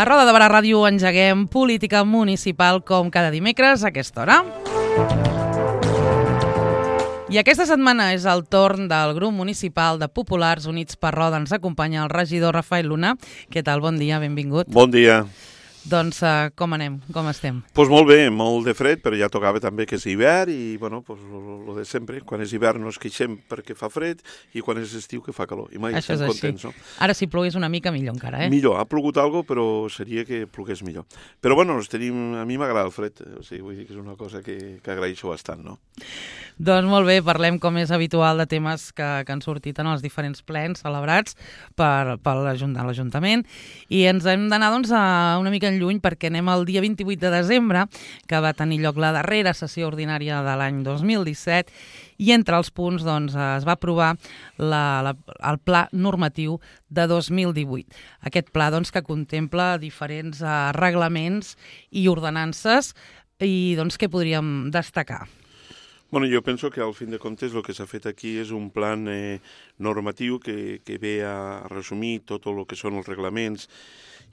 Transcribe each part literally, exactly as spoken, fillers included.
A Roda de Barà Ràdio engeguem política municipal com cada dimecres a aquesta hora. I aquesta setmana és el torn del grup municipal de Populars Units per Roda. Ens acompanya el regidor Rafael Luna. Què tal? Bon dia, benvingut. Bon dia. Doncs uh, com anem? Com estem? Doncs pues molt bé, molt de fred, però ja tocava també que és hivern i, bueno, pues, lo de sempre. Quan és hivern no es queixem perquè fa fred i quan és estiu que fa calor. I mai Això estem és contents, així. no? Ara si plogués una mica millor encara, eh? Millor, ha plogut algo, però seria que plogués millor. Però, bueno, tenim, a mi m'agrada el fred, o sigui, vull dir que és una cosa que, que agraeixo bastant, no? Doncs molt bé, parlem com és habitual de temes que, que han sortit en els diferents plens celebrats per, per l'Ajuntament i ens hem d'anar doncs, a una mica en lluny perquè anem al dia vint-i-vuit de desembre, que va tenir lloc la darrera sessió ordinària de l'any dos mil disset i entre els punts doncs, es va aprovar la, la, el pla normatiu de dos mil divuit. Aquest pla doncs, que contempla diferents uh, reglaments i ordenances i doncs, què podríem destacar? Bueno, jo penso que al fin de comptes el que s'ha fet aquí és un plan eh, normatiu que, que ve a resumir tot el que són els reglaments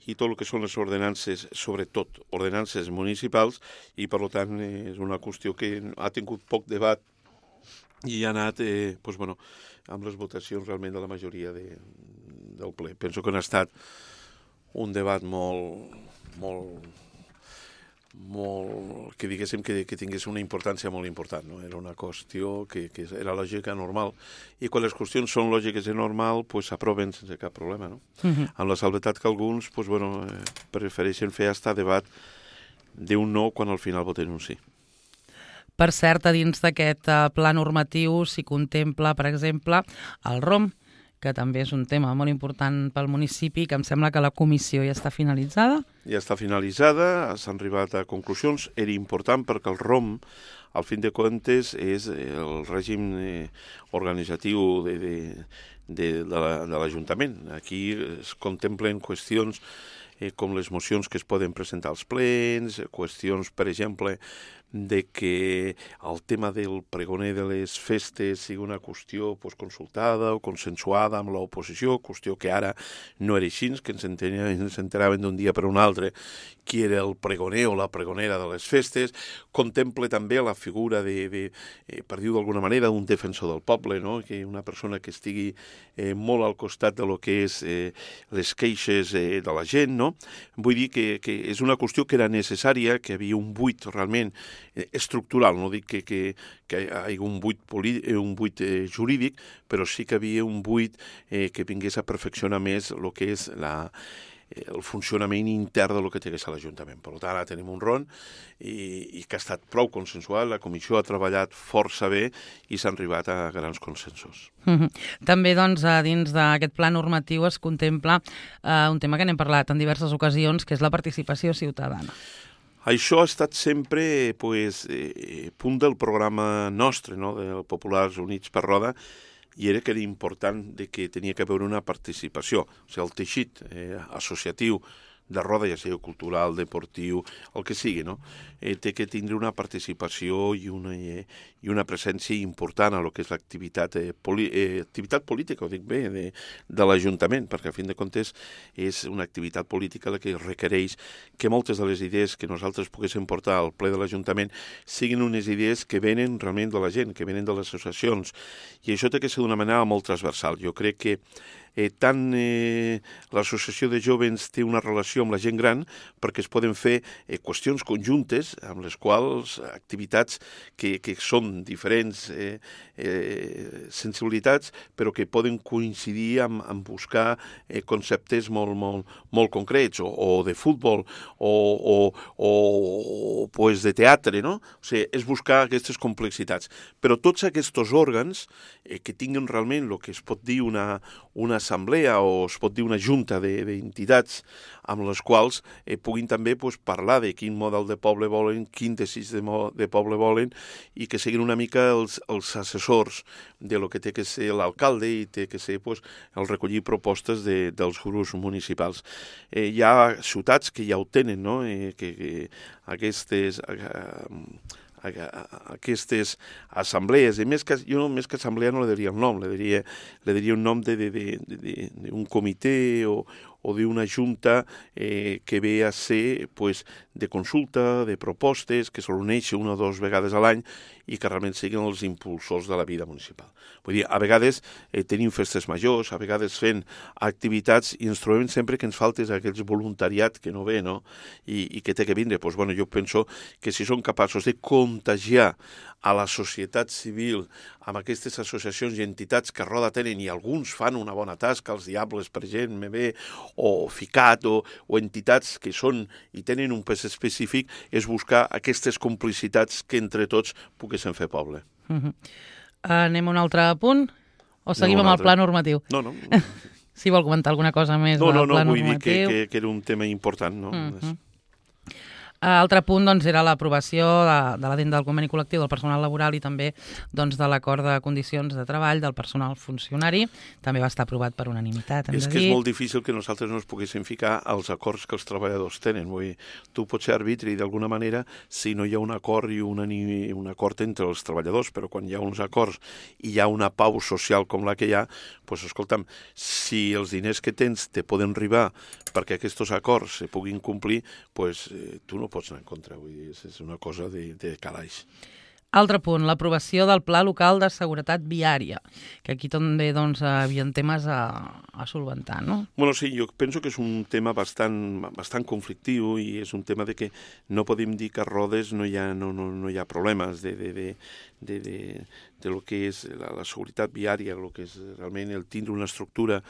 i tot el que són les ordenances, sobretot ordenances municipals, i per tant eh, és una qüestió que ha tingut poc debat i ha anat eh, doncs, bueno, amb les votacions realment de la majoria de, del ple. Penso que no ha estat un debat molt... molt molt, que diguéssim que, que tingués una importància molt important, no? Era una qüestió que, que era lògica, normal, i quan les qüestions són lògiques i normal, pues s'aproven sense cap problema, no? Uh-huh. Amb la salvetat que alguns, pues, bueno, eh, prefereixen fer hasta debat d'un no quan al final voten un sí. Per cert, a dins d'aquest uh, pla normatiu s'hi contempla, per exemple, el R O M, que també és un tema molt important pel municipi, que em sembla que la comissió ja està finalitzada. Ja està finalitzada, s'han arribat a conclusions. Era important perquè el R O M, al fin de comptes, és el règim eh, organitzatiu de, de, de, de l'Ajuntament. Aquí es contemplen qüestions eh, com les mocions que es poden presentar als plens, qüestions, per exemple, de que el tema del pregoner de les festes sigui una qüestió pues, consultada o consensuada amb l'oposició, qüestió que ara no era així, que ens, ens enteraven d'un dia per un altre qui era el pregoner o la pregonera de les festes. Contemple també la figura, de, de eh, per dir-ho d'alguna manera, d'un defensor del poble, no? Que una persona que estigui eh, molt al costat de lo que és eh, les queixes eh, de la gent, no? Vull dir que, que és una qüestió que era necessària, que hi havia un buit realment estructural, no dic que, que, que hi hagi un buit, un buit eh, jurídic, però sí que hi havia un buit eh, que vingués a perfeccionar més el que és la, eh, el funcionament intern del que té que ser l'Ajuntament. Per tant, ara tenim un R O N i, i que ha estat prou consensuat, la comissió ha treballat força bé i s'ha arribat a grans consensos. Mm-hmm. També, doncs, a dins d'aquest pla normatiu es contempla eh, un tema que n'hem parlat en diverses ocasions, que és la participació ciutadana. Això ha estat sempre pues, eh, punt del programa nostre, no?, de Populars Units per Roda, i era que era important de que tenia que haver una participació. O sigui, el teixit eh, associatiu de Roda, ja sigui cultural, deportiu, el que sigui, no? Eh, té que tindre una participació i una, eh, i una presència important a lo que és l'activitat eh, poli, eh, activitat política, ho dic bé, de, de l'Ajuntament, perquè a fin de comptes és una activitat política la que requereix que moltes de les idees que nosaltres poguéssim portar al ple de l'Ajuntament siguin unes idees que venen realment de la gent, que venen de les associacions, i això té que ser d'una manera molt transversal. Jo crec que Eh, tant eh, l'associació de jovens té una relació amb la gent gran perquè es poden fer eh, qüestions conjuntes amb les quals activitats que, que són diferents eh, eh, sensibilitats però que poden coincidir amb, amb buscar eh, conceptes molt, molt, molt concrets o, o de futbol o, o, o, o pues de teatre, no? O sigui, és buscar aquestes complexitats. Però tots aquests òrgans eh, que tinguen realment el que es pot dir una, una assemblea o es pot dir una junta d'entitats amb les quals eh, puguin també pues, parlar de quin model de poble volen, quin desig de, de poble volen i que siguin una mica els, els assessors de lo que té que ser l'alcalde i té que ser pues, el recollir propostes de, dels grups municipals. Eh, hi ha ciutats que ja ho tenen, no? eh, que, que aquestes... Eh, aquestes assemblees, i més que, jo més que assemblea no li diria un nom, li diria, li diria un nom d'un comitè o, o d'una junta eh, que ve a ser pues, de consulta, de propostes, que se reuneixi una o dues vegades a l'any i que realment siguin els impulsors de la vida municipal. Vull dir, a vegades eh, tenim festes majors, a vegades fent activitats i ens trobem sempre que ens falta aquell voluntariat que no ve, no? I, i que té que vindre. Pues, bueno, jo penso que si són capaços de contagiar a la societat civil amb aquestes associacions i entitats que a Roda tenen, i alguns fan una bona tasca, els Diables, per gent, M B, o FICAT, o, o entitats que són i tenen un pes específic, és buscar aquestes complicitats que entre tots poguessin fer poble. Uh-huh. Anem a un altre punt? O seguim no, amb el pla normatiu? No, no. Si vol comentar alguna cosa més no, del no, no, pla normatiu. No, no, vull normatiu. dir que, que, que era un tema important, no? Uh-huh. Altre punt doncs, era l'aprovació de, de l'addenda del conveni col·lectiu del personal laboral i també doncs, de l'acord de condicions de treball del personal funcionari. També va estar aprovat per unanimitat, hem és de que dir. És molt difícil que nosaltres no ens poguéssim ficar als acords que els treballadors tenen. Vull dir, tu pots ser arbitri d'alguna manera si no hi ha un acord i una, un acord entre els treballadors, però quan hi ha uns acords i hi ha una pau social com la que hi ha, doncs, escolta'm, si els diners que tens te poden arribar perquè aquests acords se puguin complir, doncs eh, tu no pots anar en contra, vull dir, és una cosa de, de calaix. Altre punt, l'aprovació del Pla Local de Seguretat Viària, que aquí també doncs, hi ha temes a, a solventar, no? Bueno, sí, jo penso que és un tema bastant, bastant conflictiu i és un tema de que no podem dir que a Rodes no hi ha, no, no, no hi ha problemes de, de, de, de, de, de lo que és la, la seguretat viària, el que és realment el tindre una estructura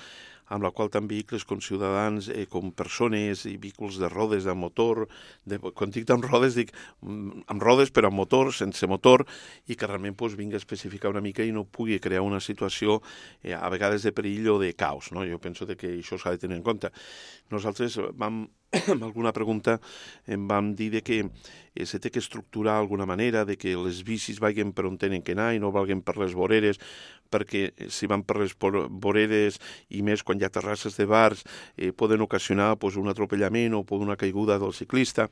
amb la qual tant vehicles com ciutadans, eh, com persones i vehicles de rodes, de motor, de, quan dic amb rodes, dic amb rodes però amb motor, sense motor, i que realment pues, vingui a especificar una mica i no pugui crear una situació eh, a vegades de perill o de caos. No? Jo penso que això s'ha de tenir en compte. Nosaltres vam, amb alguna pregunta, em vam dir de que eh, se té que estructurar d'alguna manera, de que les bicis vagin per on tenen que anar i no valguen per les voreres, perquè si van per les voreres i més quan hi ha terrasses de bars eh, poden ocasionar pues, un atropellament o una caiguda del ciclista.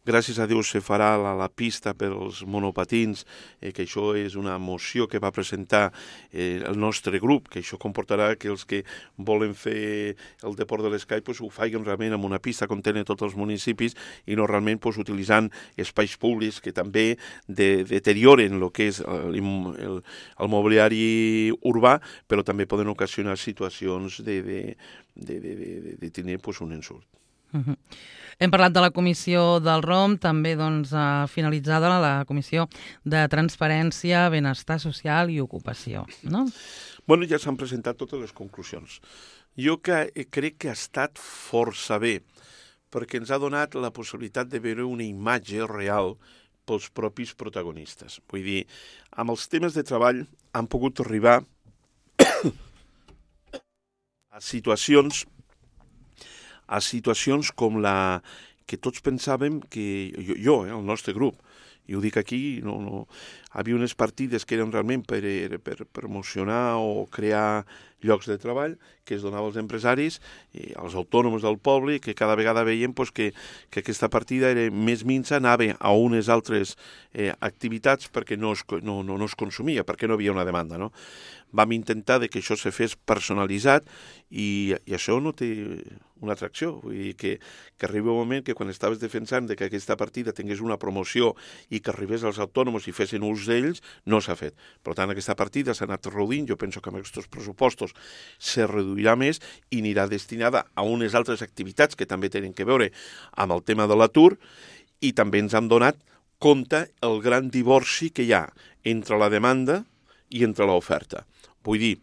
Gràcies a Déu se farà la, la pista per als monopatins, eh, que això és una moció que va presentar eh, el nostre grup, que això comportarà que els que volen fer el deport de l'Escai pues, ho facin realment amb una pista com tenen tots els municipis i no realment pues, utilitzant espais públics que també de, deterioren el que és el, el, el mobiliari urbà, però també poden ocasionar situacions de, de, de, de, de, de tenir pues, un ensurt. Uh-huh. Hem parlat de la comissió del R O M, també doncs, finalitzada la comissió de Transparència, Benestar Social i Ocupació, no? Bueno, ja s'han presentat totes les conclusions. Jo que crec que ha estat força bé, perquè ens ha donat la possibilitat de veure una imatge real pels propis protagonistes. Vull dir, amb els temes de treball han pogut arribar a situacions a situacions com la que tots pensàvem que, jo, jo eh, el nostre grup, i ho dic aquí, no, no, hi havia unes partides que eren realment per, per promocionar o crear llocs de treball que es donava als empresaris, i als autònoms del poble, que cada vegada veiem pues, que, que aquesta partida era més minsa, anava a unes altres eh, activitats perquè no es, no, no, no es consumia, perquè no havia una demanda. No? Vam intentar de que això se fes personalitzat i, i això no té una atracció. Vull dir que, que arriba un moment que quan estaves defensant de que aquesta partida tingués una promoció i que arribés als autònoms i fessin ús d'ells, no s'ha fet. Per tant, aquesta partida s'ha anat reduint, jo penso que amb aquests pressupostos se reduirà més i anirà destinada a unes altres activitats que també tenen que veure amb el tema de l'atur i també ens han donat compte el gran divorci que hi ha entre la demanda i entre l'oferta. Vull dir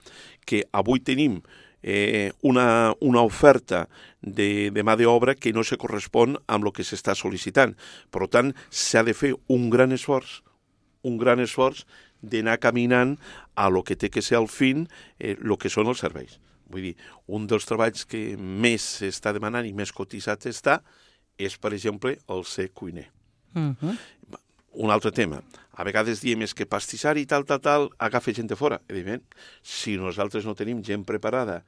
que avui tenim eh, una, una oferta de, de mà d'obra que no se correspon amb el que s'està sol·licitant. Per tant, s'ha de fer un gran esforç, un gran esforç d'anar caminant a lo que té que ser al fin eh, lo que són els serveis. Vull dir, un dels treballs que més s'està demanant i més cotitzat està és, per exemple, el ser cuiner. Uh-huh. Un altre tema. A vegades diem és que pastissari i tal, tal, tal, agafa gent de fora. Evidentment, si nosaltres no tenim gent preparada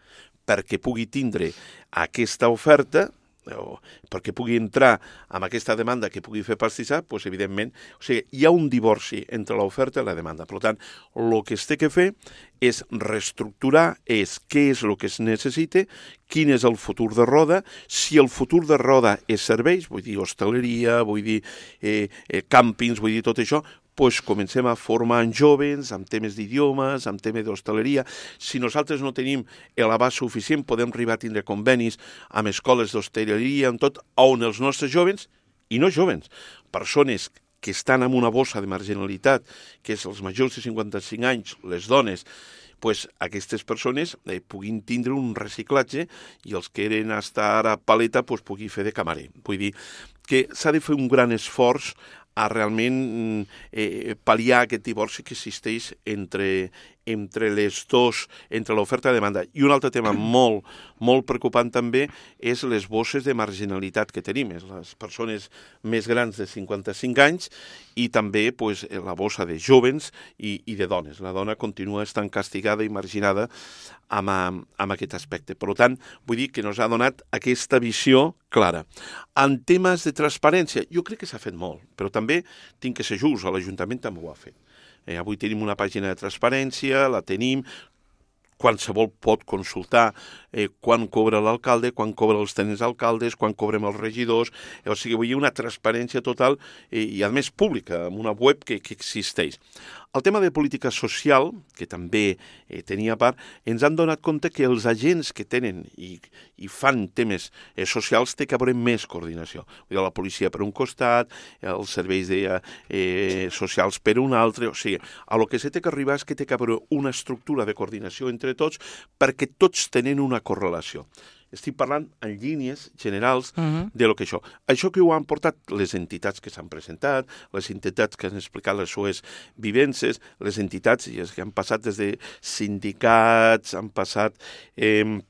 perquè pugui tindre aquesta oferta, o perquè pugui entrar amb aquesta demanda que pugui fer pastissar, doncs, evidentment, o sigui, hi ha un divorci entre l'oferta i la demanda. Per tant, el que es té que fer és reestructurar, és què és el que es necessita, quin és el futur de Roda, si el futur de Roda és serveis, vull dir hostaleria, vull dir eh, eh, càmpings, vull dir tot això, doncs comencem a formar en joves, amb temes d'idiomes, amb temes d'hostaleria. Si nosaltres no tenim l'abast suficient, podem arribar a tindre convenis amb escoles d'hostaleria, amb tot, on els nostres joves, i no joves, persones que estan en una bossa de marginalitat, que és els majors de cinquanta-cinc anys, les dones, pues aquestes persones eh, puguin tindre un reciclatge i els que eren estar a paleta pues, pugui fer de camarer. Vull dir que s'ha de fer un gran esforç a realment eh, pal·liar aquest divorci que existeix entre, entre les dos, entre l'oferta i la demanda. I un altre tema molt, molt preocupant també és les bosses de marginalitat que tenim, és les persones més grans de cinquanta-cinc anys i també pues, la bossa de jóvens i, i de dones. La dona continua estant castigada i marginada amb, amb aquest aspecte. Per tant, vull dir que ens ha donat aquesta visió clara. En temes de transparència, jo crec que s'ha fet molt, però també tinc que ser just, l'Ajuntament també ho ha fet. Eh, avui tenim una pàgina de transparència, la tenim, qualsevol pot consultar eh, quan cobra l'alcalde, quan cobra els tenents alcaldes, quan cobrem els regidors, eh, o sigui, vull dir una transparència total eh, i a més pública, amb una web que, que existeix. El tema de política social, que també eh, tenia part, ens han donat compte que els agents que tenen i, i fan temes eh, socials té que haver més coordinació. Vull dir, la policia per un costat, els serveis de, eh, socials per un altre, o sigui, a lo que se té que arribar és que té que haver una estructura de coordinació entre tots perquè tots tenen una correlació. Estic parlant en línies generals uh-huh. de lo que això. Això que ho han portat les entitats que s'han presentat, les entitats que han explicat les seues vivències, les entitats que han passat des de sindicats, han passat... Eh,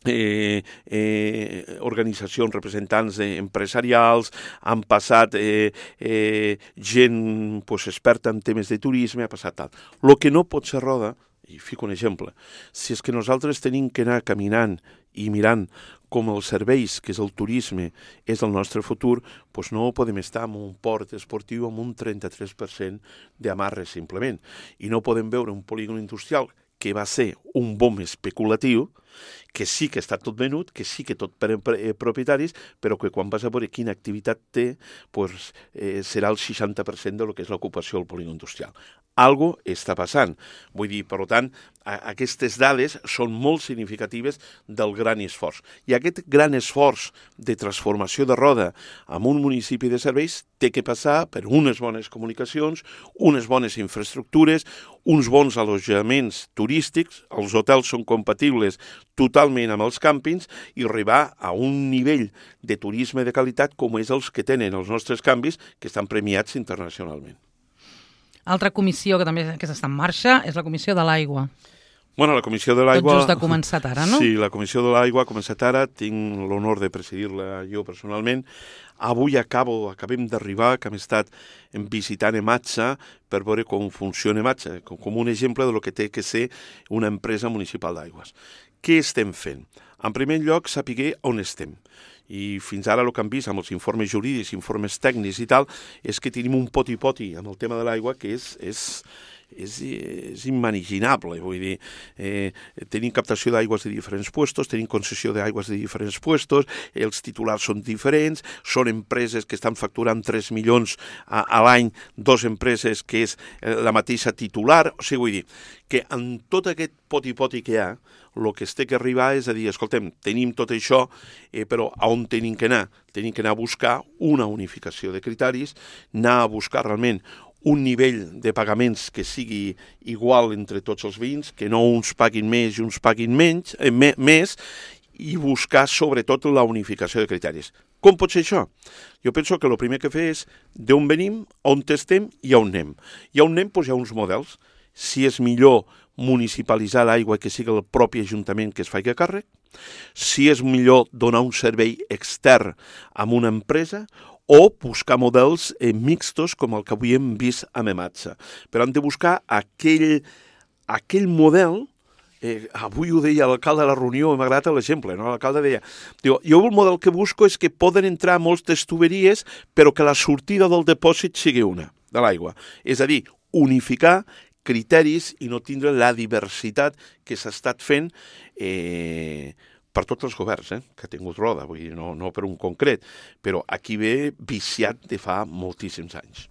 Eh, eh, organitzacions, representants empresarials, han passat eh, eh, gent pues, experta en temes de turisme, ha passat tal. El que no pot ser Roda, i fico un exemple, si és que nosaltres tenim que anar caminant i mirant com els serveis, que és el turisme, és el nostre futur, doncs no podem estar en un port esportiu amb un trenta-tres per cent d'amarres simplement. I no podem veure un polígon industrial que va ser un bom especulatiu, que sí que està tot venut, que sí que tot per eh, propietaris, però que quan vas a veure quina activitat té, pues, eh, serà el seixanta per cent de lo que és l'ocupació del polígon industrial. Algo està passant. Vull dir, per tant, a, aquestes dades són molt significatives del gran esforç. I aquest gran esforç de transformació de Roda en un municipi de serveis té que passar per unes bones comunicacions, unes bones infraestructures, uns bons allotjaments turístics, els hotels són compatibles totalment amb els càmpings i arribar a un nivell de turisme de qualitat com és els que tenen els nostres canvis que estan premiats internacionalment. Altra comissió que també que està en marxa és la Comissió de l'Aigua. Bueno, la Comissió de l'Aigua... Tot just ha començat ara, no? Sí, la Comissió de l'Aigua ha començat ara, tinc l'honor de presidir-la jo personalment. Avui acabo, acabem d'arribar, que hem estat visitant Ematsa per veure com funciona Ematsa, com un exemple de lo que té que ser una empresa municipal d'aigües. Què estem fent? En primer lloc, saber on estem. I fins ara el que hem vist amb els informes jurídics, informes tècnics i tal, és que tenim un poti-poti amb el tema de l'aigua que és, és, és, és inimaginable. Vull dir, eh, tenim captació d'aigües de diferents puestos, tenim concessió d'aigües de diferents puestos, els titulars són diferents, són empreses que estan facturant tres milions a, a l'any, dos empreses que és la mateixa titular. O sigui, vull dir que en tot aquest poti-poti que hi ha, el que es té que arribar és a dir, escoltem, tenim tot això, eh, però a on tenim que anar? Tenim que anar a buscar una unificació de criteris, anar a buscar realment un nivell de pagaments que sigui igual entre tots els veïns, que no uns paguin més i uns paguin menys, eh, me, més, i buscar sobretot la unificació de criteris. Com pot ser això? Jo penso que el primer que fer és d'on venim, on estem i on anem. I on anem, doncs hi ha uns models. Si és millor municipalitzar l'aigua que sigui el propi ajuntament que es faci càrrec, si és millor donar un servei extern a una empresa o buscar models eh, mixtos com el que avui hem vist a Ematsa. Però hem de buscar aquell, aquell model eh, avui ho deia l'alcalde a la reunió, m'ha agradat l'exemple, no? L'alcalde deia, diu, jo el model que busco és que poden entrar moltes tuberies, però que la sortida del depòsit sigui una, de l'aigua. És a dir, unificar criteris i no tindre la diversitat que s'ha estat fent eh, per tots els governs, eh, que ha tingut Roda, vull dir, no, no per un concret, però aquí ve viciat de fa moltíssims anys.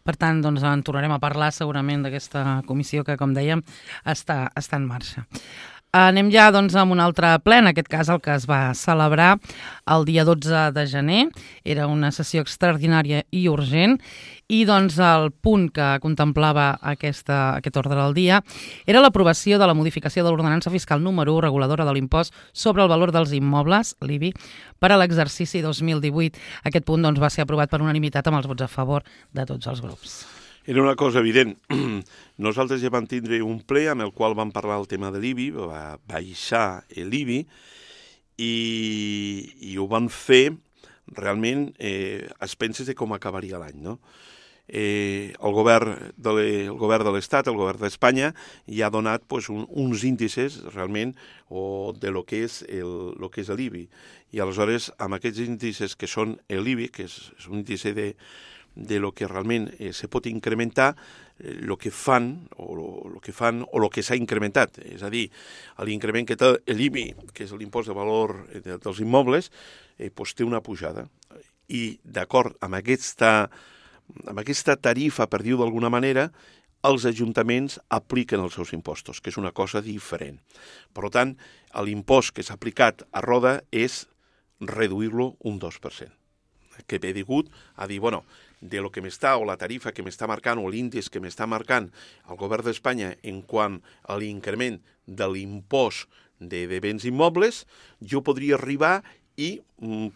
Per tant, doncs, en tornarem a parlar segurament d'aquesta comissió que, com dèiem, està, està en marxa. Anem ja doncs, amb un altre ple, en aquest cas el que es va celebrar el dia dotze de gener. Era una sessió extraordinària i urgent i doncs, el punt que contemplava aquesta, aquest ordre del dia era l'aprovació de la modificació de l'ordenança fiscal número u reguladora de l'impost sobre el valor dels immobles, l'I B I, per a l'exercici dos mil divuit. Aquest punt doncs, va ser aprovat per unanimitat amb els vots a favor de tots els grups. Era una cosa evident. Nosaltres ja vam tindre un ple amb el qual vam parlar el tema de l'I B I, va baixar l'I B I i, i ho van fer realment eh, a expenses de com acabaria l'any, no? Eh, el govern de el govern de l'Estat, el govern d'Espanya, ja ha donat pues, un, uns índices realment o de lo que és el, lo que és l'I B I. I aleshores, amb aquests índices que són l'I B I, que és, és un índice de de lo que realment eh, se pot incrementar, eh, lo que fan o lo, lo que fan o lo que s'ha incrementat, és a dir, l'increment que té l'I B I, que és l'impost de valor de, dels immobles, eh, pues té una pujada. I d'acord amb aquesta, amb aquesta tarifa, per dir-ho d'alguna manera, els ajuntaments apliquen els seus impostos, que és una cosa diferent. Per tant, l'impost que s'ha aplicat a Roda és reduir-lo un dos per cent. Que ve digut a dir, bueno, de lo que m'està, o la tarifa que m'està marcant, o l'índex que m'està marcant el govern d'Espanya en quant a l'increment de l'impost de, de béns immobles, jo podria arribar i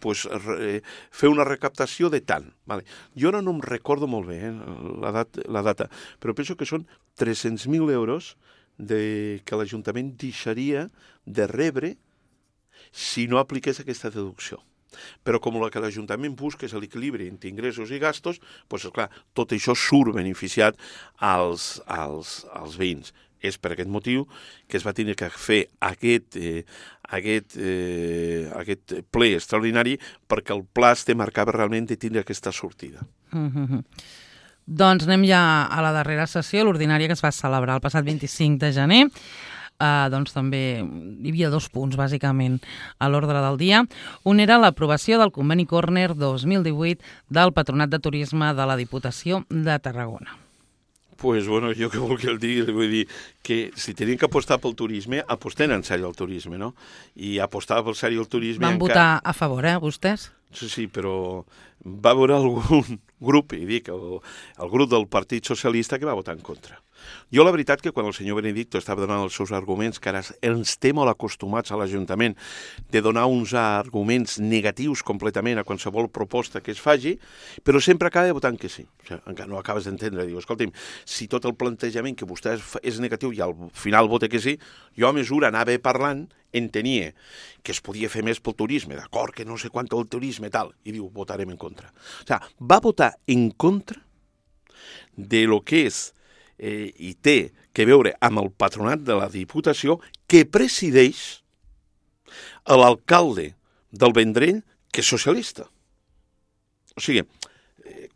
pues, re, fer una recaptació de tant. Vale. Jo ara no em recordo molt bé eh, la, dat, la data, però penso que són tres-cents mil euros de, que l'Ajuntament deixaria de rebre si no apliqués aquesta deducció. Però com el que l'Ajuntament busca és l'equilibri entre ingressos i gastos, doncs, clar, tot això surt beneficiat als, als, als veïns. És per aquest motiu que es va tenir que fer aquest, eh, aquest, eh, aquest ple extraordinari perquè el pla es marcava realment de tindre aquesta sortida. Mm-hmm. Doncs anem ja a la darrera sessió, l'ordinària que es va celebrar el passat vint-i-cinc de gener. Uh, doncs també hi havia dos punts, bàsicament, a l'ordre del dia. Un era l'aprovació del conveni Corner dos mil divuit del Patronat de Turisme de la Diputació de Tarragona. Pues bueno, jo què vol que el digui, vull dir que si tenien que apostar pel turisme, aposten en sèrio al turisme, no? I apostar pel sèrio al turisme... Van encara... votar a favor, eh, vostès? Sí, sí, però va haver algun grup, i dic, el, el grup del Partit Socialista que va votar en contra. Jo la veritat que quan el senyor Benedicto estava donant els seus arguments, que ara ens té molt acostumats a l'Ajuntament de donar uns arguments negatius completament a qualsevol proposta que es faci, però sempre acaba votant que sí. O sigui, encara no acabes d'entendre. Diu, escolti'm, si tot el plantejament que vostè és negatiu i al final vota que sí, jo a mesura anava parlant, entenia que es podia fer més pel turisme, d'acord, que no sé quant el turisme tal, i diu, votarem en contra. O sigui, va votar en contra de lo que és eh, i té que veure amb el patronat de la Diputació que presideix l'alcalde del Vendrell, que és socialista. O sigui,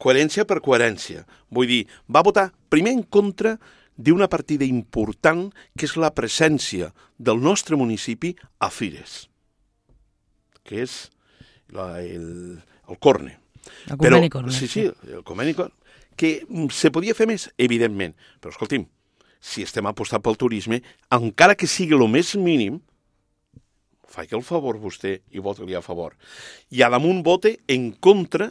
coherència per coherència. Vull dir, va votar primer en contra d'una partida important que és la presència del nostre municipi a Fires, que és la, el, el Corne. El conveni Corne. Sí, sí, el conveni Corne. Que se podia fer més, evidentment. Però, escolti'm, si estem apostant pel turisme, encara que sigui el més mínim, faci el favor vostè i voti-li a favor. I a damunt vote en contra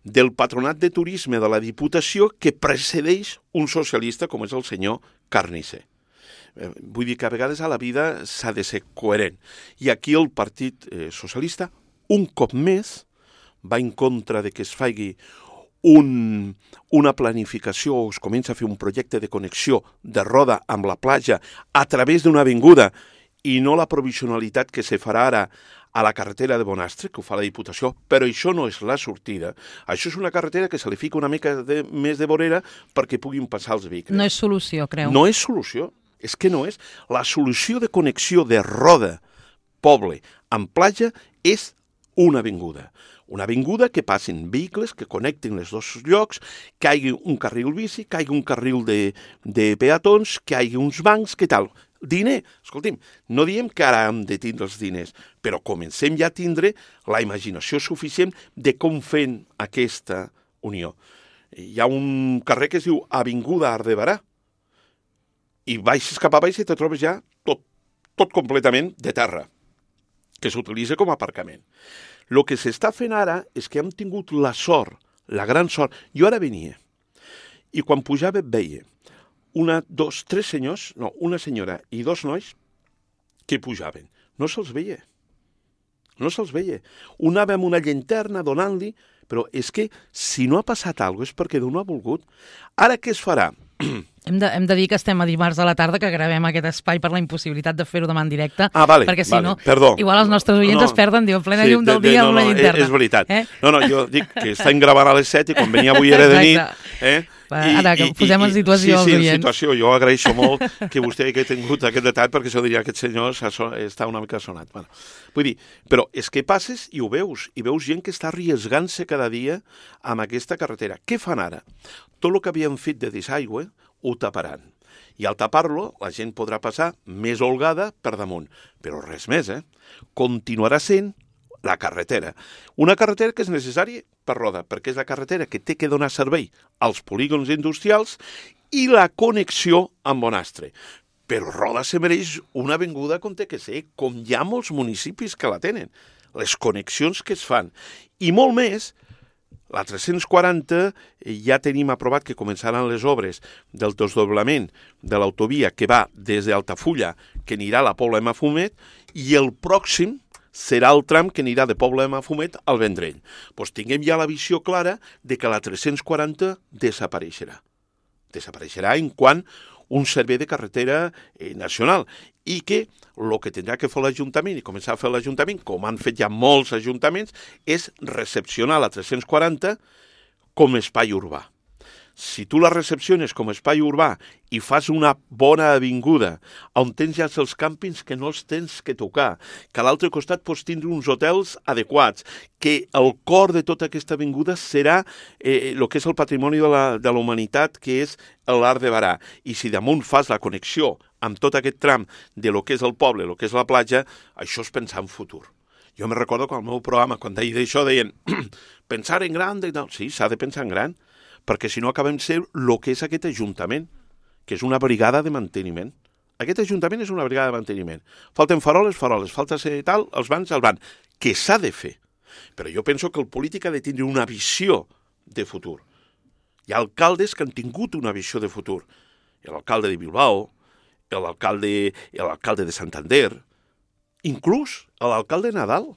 del patronat de turisme de la Diputació que precedeix un socialista com és el senyor Carnicer. Eh, vull dir que a vegades a la vida s'ha de ser coherent. I aquí el Partit eh, Socialista, un cop més, va en contra de que es faci un, una planificació o es comença a fer un projecte de connexió de Roda amb la platja a través d'una avinguda i no la provisionalitat que se farà ara a la carretera de Bonastre, que ho fa la Diputació, però això no és la sortida. Això és una carretera que se li fica una mica de, més de vorera perquè puguin passar els vehicles. No és solució, creu? No és solució. És que no és. La solució de connexió de Roda, poble, amb platja és una avinguda. Una avinguda que passin vehicles, que connectin els dos llocs, que hi hagi un carril bici, que hi hagi un carril de, de peatons, que hi hagi uns bancs, què tal? Diner, escolti'm, no diem que ara hem de tindre els diners, però comencem ja a tindre la imaginació suficient de com fem aquesta unió. Hi ha un carrer que es diu Avinguda Ardebarà, i baixes cap a baix i te trobes ja tot, tot completament de terra, que s'utilitza com a aparcament. El que s'està fent ara és que hem tingut la sort, la gran sort. Jo ara venia, i quan pujava veia una, dos, tres senyors, no, una senyora i dos nois que pujaven. No se'ls veia. No se'ls veia. Un anava amb una llanterna donant-li, però és que si no ha passat alguna cosa és perquè Déu no ha volgut. Ara què es farà? Hem de, hem de dir que estem a dimarts a la tarda, que gravem aquest espai per la impossibilitat de fer-ho demà en directe. Ah, vale, perquè si vale, no, perdó. Igual els nostres oients no, es perden, diu, en plena sí, llum del de, de, dia no, amb la no, llanterna. És veritat. Eh? No, no, jo dic que estem gravant a les set i quan venia avui era de nit. Eh? I, Ara, que posem en situació sí, els sí, oients. Sí, en situació. Jo agraeixo molt que vostè hagi tingut aquest detall, perquè això diria que aquest senyor està una mica sonat. Bueno, vull dir, però és que passes i ho veus, i veus gent que està arriesgant-se cada dia amb aquesta carretera. Què fan ara? Tot el que havien fet de desaigüe ho taparan. I al tapar-lo, la gent podrà passar més holgada per damunt. Però res més, eh? Continuarà sent la carretera. Una carretera que és necessària per Roda, perquè és la carretera que té que donar servei als polígons industrials i la connexió amb Bonastre. Però Roda se mereix una avinguda com té que ser, com hi ha molts municipis que la tenen. Les connexions que es fan. I molt més, la tres-cents quaranta ja tenim aprovat que començaran les obres del desdoblament de l'autovia que va des d'Altafulla, que anirà a la Pobla de Mafumet, i el pròxim serà el tram que anirà de Pobla de Mafumet al Vendrell. Doncs tinguem ja la visió clara de que la tres-cents quaranta desapareixerà. Desapareixerà en quant un servei de carretera eh, nacional, i que el que tindrà que fer l'Ajuntament i començar a fer l'Ajuntament, com han fet ja molts ajuntaments, és recepcionar la tres-cents quaranta com espai urbà. Si tu la recepciones com a espai urbà i fas una bona avinguda on tens ja els càmpings que no els tens que tocar, que a l'altre costat pots tindre uns hotels adequats, que el cor de tota aquesta avinguda serà eh, el que és el patrimoni de la, de la humanitat, que és l'Art de Barà. I si damunt fas la connexió amb tot aquest tram de lo que és el poble, lo que és la platja, això és pensar en futur. Jo me recordo que al meu programa, quan deia d'això, deien pensar en gran, de... no, sí, s'ha de pensar en gran, perquè si no acabem ser el que és aquest ajuntament, que és una brigada de manteniment. Aquest ajuntament és una brigada de manteniment. Falten faroles, faroles, falta ser tal, els bans, el ban, que s'ha de fer. Però jo penso que el polític ha de tindre una visió de futur. Hi ha alcaldes que han tingut una visió de futur. L'alcalde de Bilbao, l'alcalde, l'alcalde de Santander, inclús l'alcalde Nadal.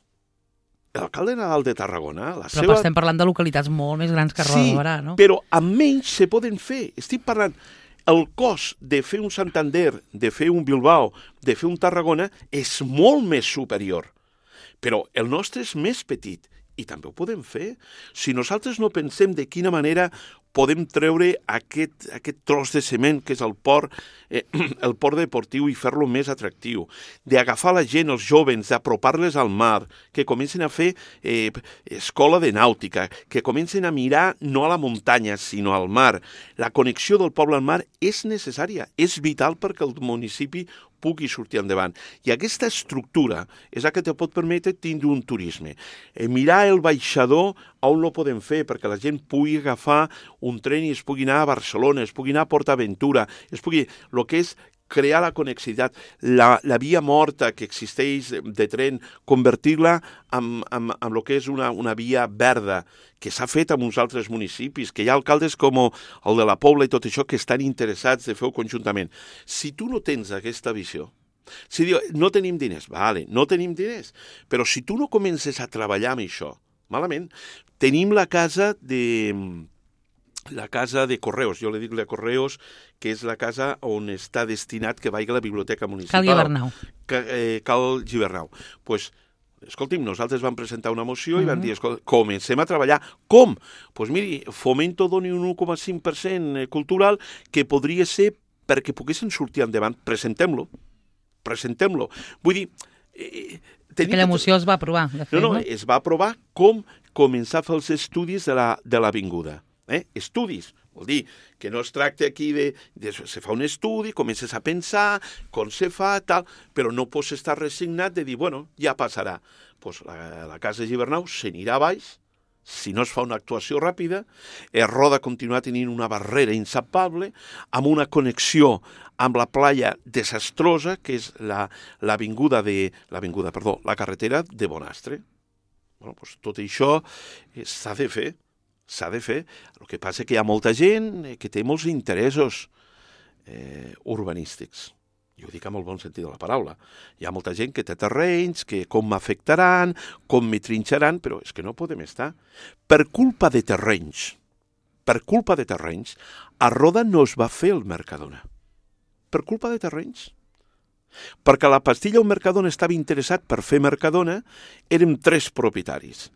L'alcalde Nadal de Tarragona... La Però seva... estem parlant de localitats molt més grans que Roda de Barà, no? Sí, però amb menys se poden fer. Estic parlant... El cost de fer un Santander, de fer un Bilbao, de fer un Tarragona, és molt més superior. Però el nostre és més petit i també ho podem fer. Si nosaltres no pensem de quina manera podem treure aquest, aquest tros de cement que és el port, eh, el port deportiu i fer-lo més atractiu, d'agafar la gent, els jovens, d'apropar-les al mar, que comencen a fer eh, escola de nàutica, que comencen a mirar no a la muntanya, sinó al mar. La connexió del poble al mar és necessària, és vital perquè el municipi pugui sortir endavant. I aquesta estructura és la que te pot permetre tindre un turisme. Eh, mirar el baixador on no podem fer perquè la gent pugui agafar un tren i es pugui anar a Barcelona, es pugui anar a PortAventura, es pugui... El que és crear la connexitat, la, la via morta que existeix de tren, convertir-la en, en, en el que és una, una via verda, que s'ha fet en uns altres municipis, que hi ha alcaldes com el de la Pobla i tot això que estan interessats de fer-ho conjuntament. Si tu no tens aquesta visió, si diu, no tenim diners, vale, no tenim diners, però si tu no comences a treballar amb això, malament, tenim la casa de... la casa de Correus, jo li dic la Correus, que és la casa on està destinat que vagi a la biblioteca municipal. Cal Gibernau. Que, eh, Cal Gibernau. Doncs, pues, escolti'm, nosaltres vam presentar una moció uh-huh. i vam dir, escolta, comencem a treballar. Com? Doncs pues miri, Fomento doni un un coma cinc per cent cultural que podria ser perquè poguessin sortir endavant, presentem-lo, presentem-lo. Vull dir... Eh, Aquella moció es va aprovar, de fet, no? No, no? es va aprovar com començar a fer els estudis de la, de l'avinguda. Eh? Estudis, vol dir que no es tracta aquí de, de... Se fa un estudi, comences a pensar com se fa, tal, però no pots estar resignat de dir, bueno, ja passarà. Pues la, la casa de Gibernau s'anirà a baix, si no es fa una actuació ràpida, es Roda continuar tenint una barrera insalvable, amb una connexió amb la playa desastrosa, que és l'avinguda de... l'avinguda, perdó, la carretera de Bonastre. Bueno, pues tot això s'ha de fer, s'ha de fer. El que passa que hi ha molta gent que té molts interessos eh, urbanístics. Jo ho dic amb el bon sentit de la paraula. Hi ha molta gent que té terrenys, que com m'afectaran, com me trinxaran, però és que no podem estar. Per culpa de terrenys, per culpa de terrenys, a Roda no es va fer el Mercadona. Per culpa de terrenys. Perquè la Pastilla o Mercadona estava interessat per fer Mercadona, érem tres propietaris.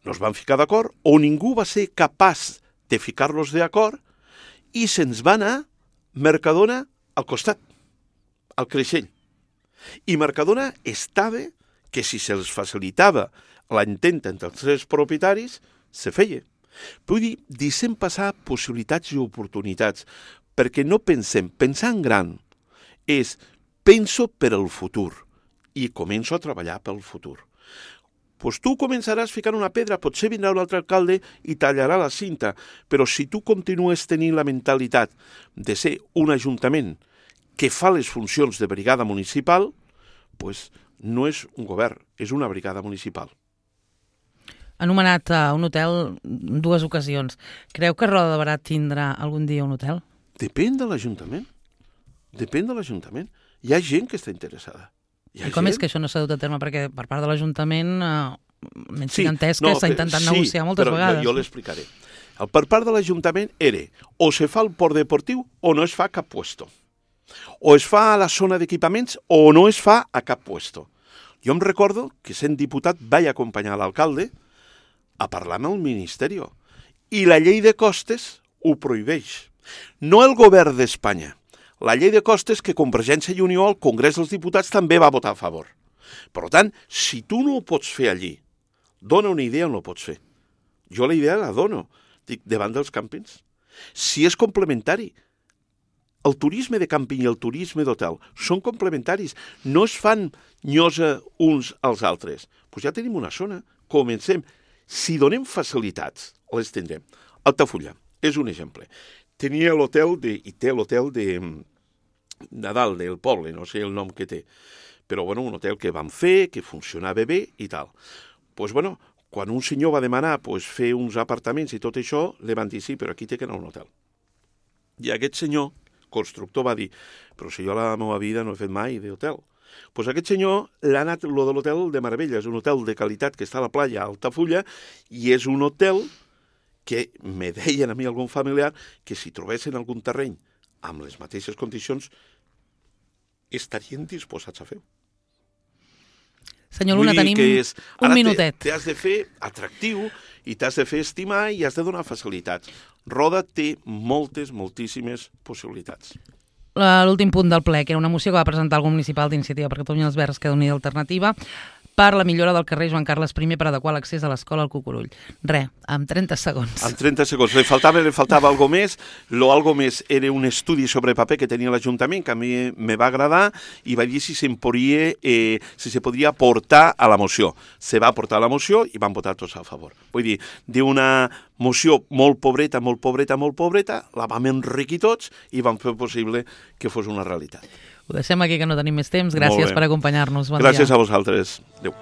No es van ficar d'acord, o ningú va ser capaç de ficar-los d'acord, i se'ns va anar Mercadona al costat, al Creixell. I Mercadona estava que si se'ls facilitava l'ententa entre els tres propietaris, se feia. Vull dir, deixem passar possibilitats i oportunitats, perquè no pensem, pensar en gran és penso per al futur i començo a treballar pel futur. Pues tu començaràs ficant una pedra, potser vindrà un altre alcalde i tallarà la cinta, però si tu continues tenint la mentalitat de ser un ajuntament que fa les funcions de brigada municipal, pues no és un govern, és una brigada municipal. Ha anomenat uh, un hotel en dues ocasions. Creu que Roda de Barà tindrà algun dia un hotel? Depèn de l'Ajuntament. Depèn de l'Ajuntament. Hi ha gent que està interessada. I com gent? És que això no s'ha dut a terme? Perquè per part de l'Ajuntament, eh, menys sí, entès que no, s'ha intentat sí, negociar moltes però vegades. Jo, jo l'explicaré. El per part de l'Ajuntament era o se fa el port deportiu o no es fa a cap puesto. O es fa a la zona d'equipaments o no es fa a cap puesto. Jo em recordo que sent diputat vaig acompanyar l'alcalde a parlar amb el Ministeri. I la llei de costes ho prohibeix. No el govern d'Espanya. La llei de costes que Convergència i Unió al Congrés dels Diputats també va votar a favor. Per tant, si tu no ho pots fer allí, dona una idea on ho pots fer. Jo la idea la dono, dic, davant dels càmpings. Si és complementari, el turisme de càmping i el turisme d'hotel són complementaris, no es fan nyosa uns als altres. Doncs ja tenim una zona, comencem. Si donem facilitats, les tindrem. Altafulla és un exemple. Tenia l'hotel, de, i té l'hotel de Nadal, del poble, no sé el nom que té, però bueno, un hotel que vam fer, que funcionava bé i tal. Doncs pues, bueno, quan un senyor va demanar pues, fer uns apartaments i tot això, li van dir sí, però aquí té que anar a un hotel. I aquest senyor, constructor, va dir, però si jo a la meva vida no he fet mai d'hotel. Doncs pues aquest senyor l'ha anat lo de l'hotel de meravella, és un hotel de qualitat que està a la playa a Altafulla i és un hotel que me deien a mi algun familiar que si trobessin algun terreny amb les mateixes condicions estarien disposats a fer-ho. Senyor Luna, tenim és, un minutet. T'has de fer atractiu i t'has de fer estimar i has de donar facilitats. Roda té moltes, moltíssimes possibilitats. L'últim punt del ple, que era una moció que va presentar el grup municipal d'Iniciativa per Catalunya els Verds, Esquerra Unida i Alternativa, per la millora del carrer Joan Carles primer per adequar l'accés a l'escola al Cucurull. Re, amb trenta segons. Amb trenta segons. Li faltava, li faltava algo més. Lo algo més era un estudi sobre paper que tenia l'Ajuntament, que a mi me va agradar, i va dir si se'n podria, eh, si se podria portar a la moció. Se va portar a la moció i van votar tots a favor. Vull dir, d'una moció molt pobreta, molt pobreta, molt pobreta, la vam enriquir tots i vam fer possible que fos una realitat. Ho deixem aquí, que no tenim més temps. Gràcies per acompanyar-nos. Bon Gràcies dia. a vosaltres. Adéu.